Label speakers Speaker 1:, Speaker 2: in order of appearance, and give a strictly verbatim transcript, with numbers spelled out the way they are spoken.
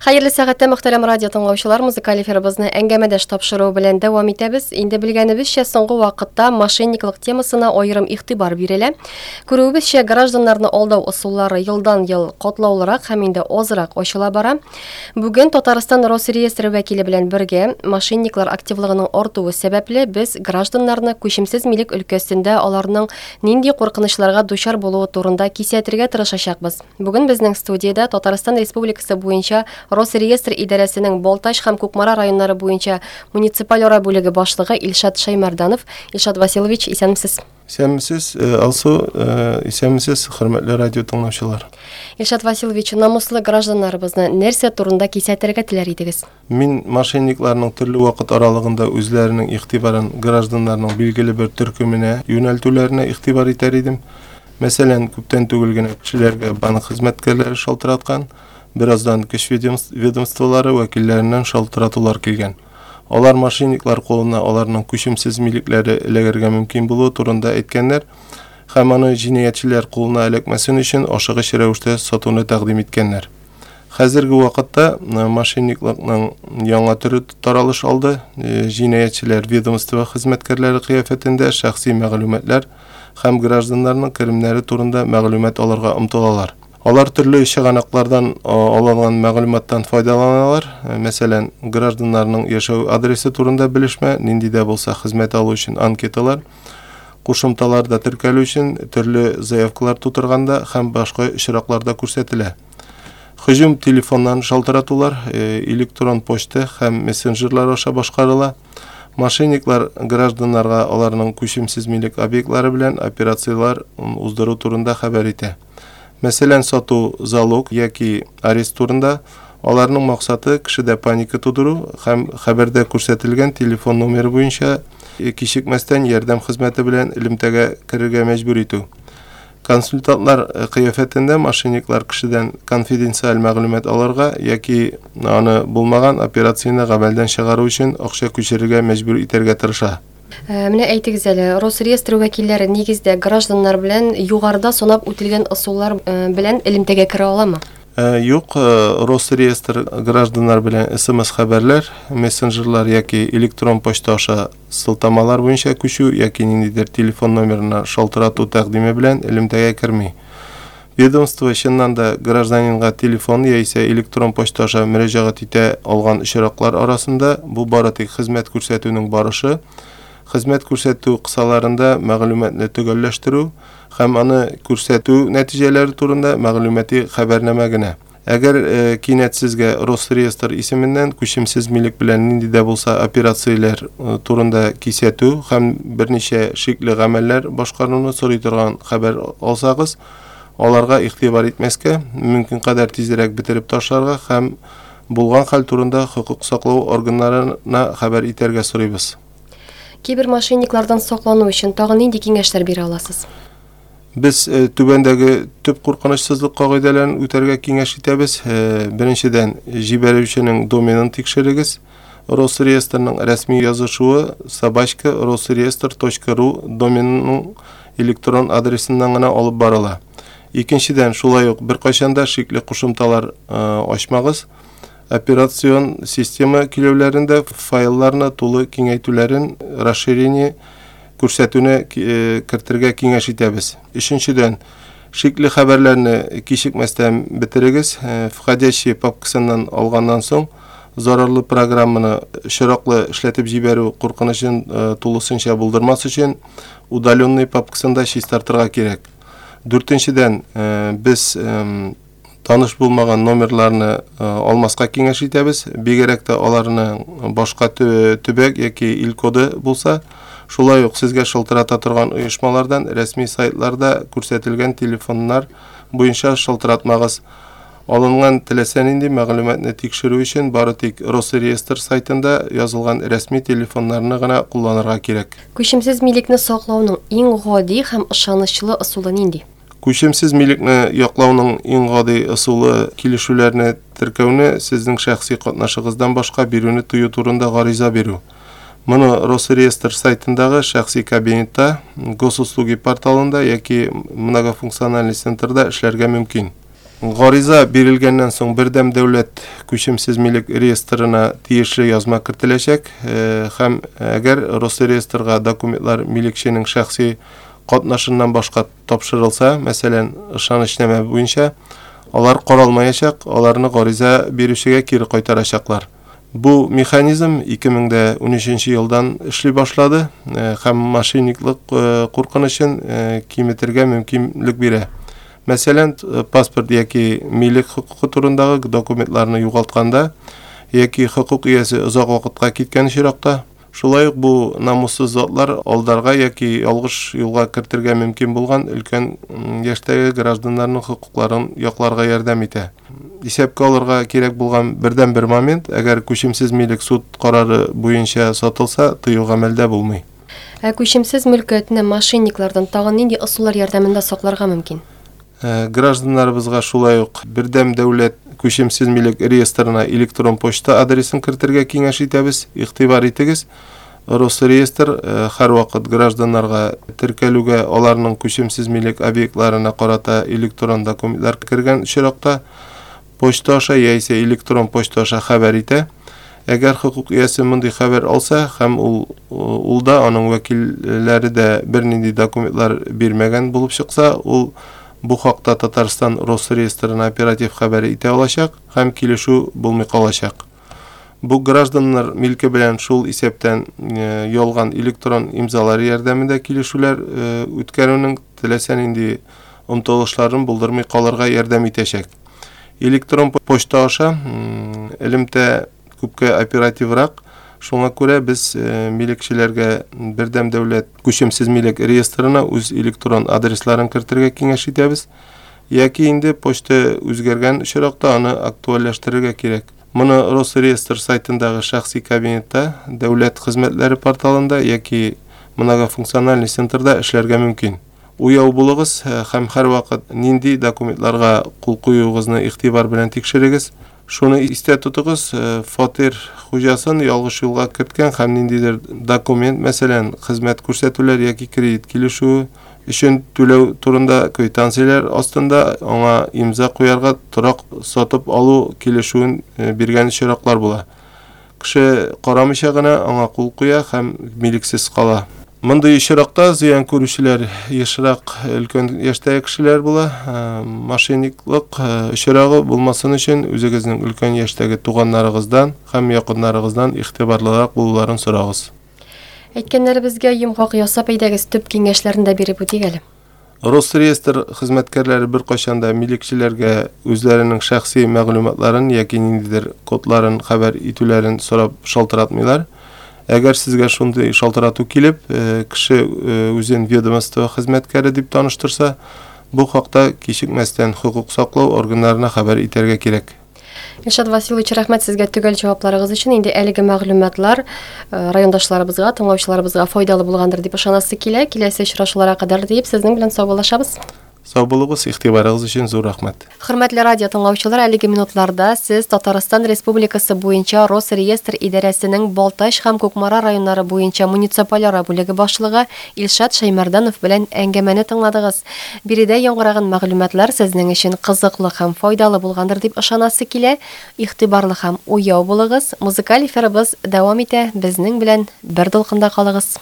Speaker 1: Хәерле сәгатьтә, мөхтәрәм радио тыңлаучылар, музыкаль эфирыбызны әңгәмәдәш тапшыруы белән дәвам итәбез. Инде белгәнебезчә, соңгы вакытта мошенниклык темасына аерым игътибар бирелә. Күрүебезчә, гражданнарны алдау ысуллары елдан-ел катлаулырак һәм инде азрак ачыла бара. Бүген Татарстан Росреестры вәкиле белән бергә мошенниклар активлыгының артуы сәбәпле без гражданнарны күчемсез милек өлкәсендә аларның нинди куркынычларга дучар булуы турында кисәтергә тырышачакбыз. Бүген безнең студиядә Татарстан Республикасы буенча Росреестр идарәсенең Балтач һәм Кукмара районнары буенча муниципаль ара бүлеге башлыгы Илшат Шаймарданов. Илшат Василович, исәнмесез.
Speaker 2: Исәнмесез, Алсу, исәнмесез, хөрмәтле радио тыңлаучылар.
Speaker 1: Илшат Василович, намуслы гражданнарыбызны нәрсә турында кисәтергә теләр идегез?
Speaker 2: Мин мошенникларның төрле вакыт аралыгында үзләренең игътибарын гражданнарның билгеле бер төркеменә юнәлтүләренә игътибар итәр идем. Мәсәлән, күптән түгел генә кешеләргә банк хезмәткәрләре шалтыраткан, бераздан көч ведомстволары вәкилләреннән шалтыратулар килгән. Алар мошенниклар кулына аларның күчемсез милекләре эләгергә мөмкин булуы турында әйткәннәр һәм аны җинаятьчеләр кулына эләкмәсен өчен ашыгыч рәвештә сатуны тәкъдим иткәннәр. Хәзерге вакытта мошенниклыкның яңа төре таралыш алды. Җинаятьчеләр ведомство хезмәткәрләре кыяфәтендә шәхси мәгълүматлар һәм гражданнарның керемнәре турында мәгълүмат алырга омтылалар. Алар төрле чыганаклардан алынган мәгълүматтан файдаланалар. Мәсәлән, гражданнарның яшәү адресы турында белешмә, нинди дә булса хезмәт алу өчен анкеталар, кушымталарда теркәлү өчен төрле заявкалар тутырганда һәм башка очракларда күрсәтелә. Һөҗүм телефоннан шалтыратулар, электрон почта һәм мессенджерлар аша башкарыла. Мошенниклар гражданнарга аларның күчемсез милек объектлары белән операцияләр уздыру турында хәбәр итә. Мәсәлән, сату, залог яки арест турында. Аларның максаты кешедә паника тудыру һәм хәбәрдә күрсәтелгән телефон номеры буенча кичекмәстән ярдәм хезмәте белән элемтәгә керергә мәҗбүр итү. Консультантлар кыяфәтендә мошенниклар кешедән конфиденциаль мәгълүмат алырга яки аны булмаган операцияне гамәлдән чыгару өчен акча күчерергә мәҗбүр итәргә тырыша.
Speaker 1: Менә әйтегез әле, Росреестр вәкилләре нигездә гражданнар белән югарыда санап үтелгән ысуллар белән элемтәгә керә аламы?
Speaker 2: Юк, Росреестр гражданнар белән эс эм эс хәбәрләр, мессенджерлар яки электрон почта аша сылтамалар буенча күчү яки ниндидер телефон номерына шалтырату тәкъдиме белән элемтәгә керми. Ведомство чыннан да гражданинга телефон яисә электрон почта аша мөрәҗәгать итә алган очраклар арасында бу бары тик хезмәт күрсәтүнең барышы, хезмәт күрсәтү кысаларында мәгълүматны төгәлләштерү һәм аны күрсәтү нәтиҗәләре турында мәгълүмати хәбәрнамә генә. Әгәр кинәт сезгә Росреестр исеменнән күчемсез милек белән нинди дә булса операцияләр турында кисәтү һәм берничә шикле гамәлләр башкаруны сорый торган хәбәр алсагыз, аларга игътибар итмәскә, мөмкин кадәр тизрәк бетереп ташларга һәм булган хәл турында хокук саклау органнарына хәбәр итәргә сорыйбыз.
Speaker 1: Кибермошенниклардан саклану өчен тагын нинди киңәшләр бирә аласыз?
Speaker 2: Без түбәндәге төп куркынычсызлык кагыйдәләрен үтәргә киңәш итәбез. Беренчедән, җибәрүченең доменын тикшерегез. Росреестрның рәсми язышуы собачка росреестр точка ру доменының электрон адресыннан гына алып барыла. Икенчедән, шулай ук беркайчан да шикле кушымталар ачмагыз. Операцион система көйләүләрендә файлларны тулы киңәйтүләрен, расширение күрсәтүне кертергә киңәш итәбез. Өченчедән, шикле хәбәрләрне кичекмәстән бетерегез. Входящие папкасыннан алганнан соң зарарлы программаны очраклы эшләтеп җибәрү куркынычын тулысынча булдырмас өчен удаленный папкасында чистартырга кирәк. Дүртенчедән, без таныш булмаган номерларны алмаска киңәш итәбез. Бигрәк тә аларның башка төбәк яки ил коды булса, шулай ук сезгә шалтырата торган оешмалардан рәсми сайтларда күрсәтелгән телефоннар буенча шалтыратмагыз. Алынган теләсә нинди мәгълүматны тикшерү өчен бары тик Росреестр сайтында язылган рәсми телефоннарны гына кулланырга кирәк.
Speaker 1: Күчемсез милекне саклауның иң гади һәм ышанычлы ысулы нинди?
Speaker 2: Күчемсез милекне яклауның иң гади ысулы килешүләрне теркәүне сезнең шәхси катнашыгыздан башка бирүне тыю турында гариза бирү. Моны Росреестр сайтындагы шәхси кабинетта, Госуслуги порталында яки многофункциональный центрда эшләргә мөмкин. Гариза бирелгәннән соң бердәм дәүләт күчемсез милек реестрына тиешле язма кертеләчәк һәм әгәр Росреестрга документлар милекченең шәхси катнашыннан башка тапшырылса, мәсәлән, ышанычнамә буенча, алар каралмаячак, аларны гариза бирүчегә кире кайтарачаклар. Бу механизм ике мең дә унөченче елдан эшли башлады һәм мошенниклык куркынычын киметергә мөмкинлек бирә. Мәсәлән, паспорт яки милек хокукы турындагы документларны югалтканда яки хокук иясе озак вакытка киткән очракта, шулай ук бу намуссыз затлар алдарга яки ялгыш юлга кертергә мөмкин булган өлкән яшьтәге гражданнарның хокукларын якларга ярдәм итә. Исәпкә алырга кирәк булган бердән-бер момент, әгәр күчемсез милек суд карары буенча сатылса, тыю гамәлдә булмый.
Speaker 1: Ә күчемсез мөлкәтне мошенниклардан тагын нинди ысуллар ярдәмендә сакларга мөмкин?
Speaker 2: Гражданнарыбызга шулай ук бердәм дәүләт күчемсез милек реестрына электрон почта адресын кертергә киңәш итәбез. Игътибар итегез, Росреестр һәрвакыт гражданнарга теркәлүгә аларның күчемсез милек объектларына карата электрон документлар кергән очракта почта аша яисә электрон почта аша хәбәр итә. Әгәр хокук иясе мондый хәбәр алса һәм ул, ул да аның вәкилләре дә бернинди документлар бирмәгән булып чыкса, ул бу хакта Татарстан Росреестрына оператив хәбәр итә алачак һәм килешү булмый калачак. Бу гражданнар милке белән шул исәптән ялган электрон имзалар ярдәмендә килешүләр үткәрүнең теләсә нинди омтылышларын булдырмый калырга ярдәм итәчәк. Электрон почта аша элемтә күпкә оперативрак, шуңа күрә без милекчеләргә бердәм дәүләт күчемсез милек реестрына үз электрон адресларын кертергә киңәш итәбез, яки инде почта үзгәргән очракта аны актуальләштерергә кирәк. Моны Росреестр сайтындагы шәхси кабинетта, дәүләт хезмәтләре порталында яки многофункциональный центрда эшләргә мөмкин. Уяу булыгыз һәм һәрвакыт нинди документларга кул куюыгызны игътибар белән тикшерегез. Шуны истә тотыгыз, фатир хуҗасын ялгыш юлга керткән һәм ниндидер документ, мәсәлән, хезмәт күрсәтүләр яки кредит килешүе өчен түләү турында квитанцияләр астында аңа имза куярга торак сатып алу килешүен биргән очраклар була. Кеше карамыйча гына аңа кул куя һәм милексез кала. Мондый очракта зыян күрүчеләр ешрак өлкән яшьтәге кешеләр була. Мошенниклык очрагы булмасын өчен үзегезнең өлкән яшьтәге туганнарыгыздан һәм якыннарыгыздан игътибарлырак булуларын сорагыз.
Speaker 1: Әйткәннәребезгә йомгак ясап әйдәгез, төп киңәшләрен дә биреп үтик әле.
Speaker 2: Росреестр хезмәткәрләре беркайчан да милекчеләргә үзләренең шәхси мәгълүматларын яки ниндидер кодларын хәбәр итүләрен сорап шалтыратмыйлар. Әгәр сезгә шундый шалтырату килеп, кеше үзен ведомство хезмәткәре дип таныштырса, бу хакта кичекмәстән хокук саклау органнарына хәбәр итәргә кирәк.
Speaker 1: Илшат Василович, рәхмәт сезгә төгәл җавапларыгыз өчен. Инде әлеге мәгълүматлар райондашларыбызга, тыңлаучыларыбызга файдалы булгандыр дип ышанасы килә. Киләсе очрашуларга кадәр дип сезнең белән саубуллашабыз.
Speaker 2: Сау булыгыз, игътибарыгыз өчен зур рәхмәт.
Speaker 1: Хөрмәтле радио тыңлаучылар, әлеге минутларда сез Татарстан Республикасы буенча Росреестр идарәсенең Балтач һәм Кукмара районнары буенча муниципальара бүлеге башлыгы Илшат Шәймәрданов белән әңгәмәне тыңладыгыз. Биредә яңгыраган мәгълүматлар сезнең өчен кызыклы һәм файдалы булгандыр дип ышанасы килә. Игътибарлы һәм уяу булыгыз. Музыкаль эфирыбыз дәвам итә. Безнең белән бер дулкында калыгыз.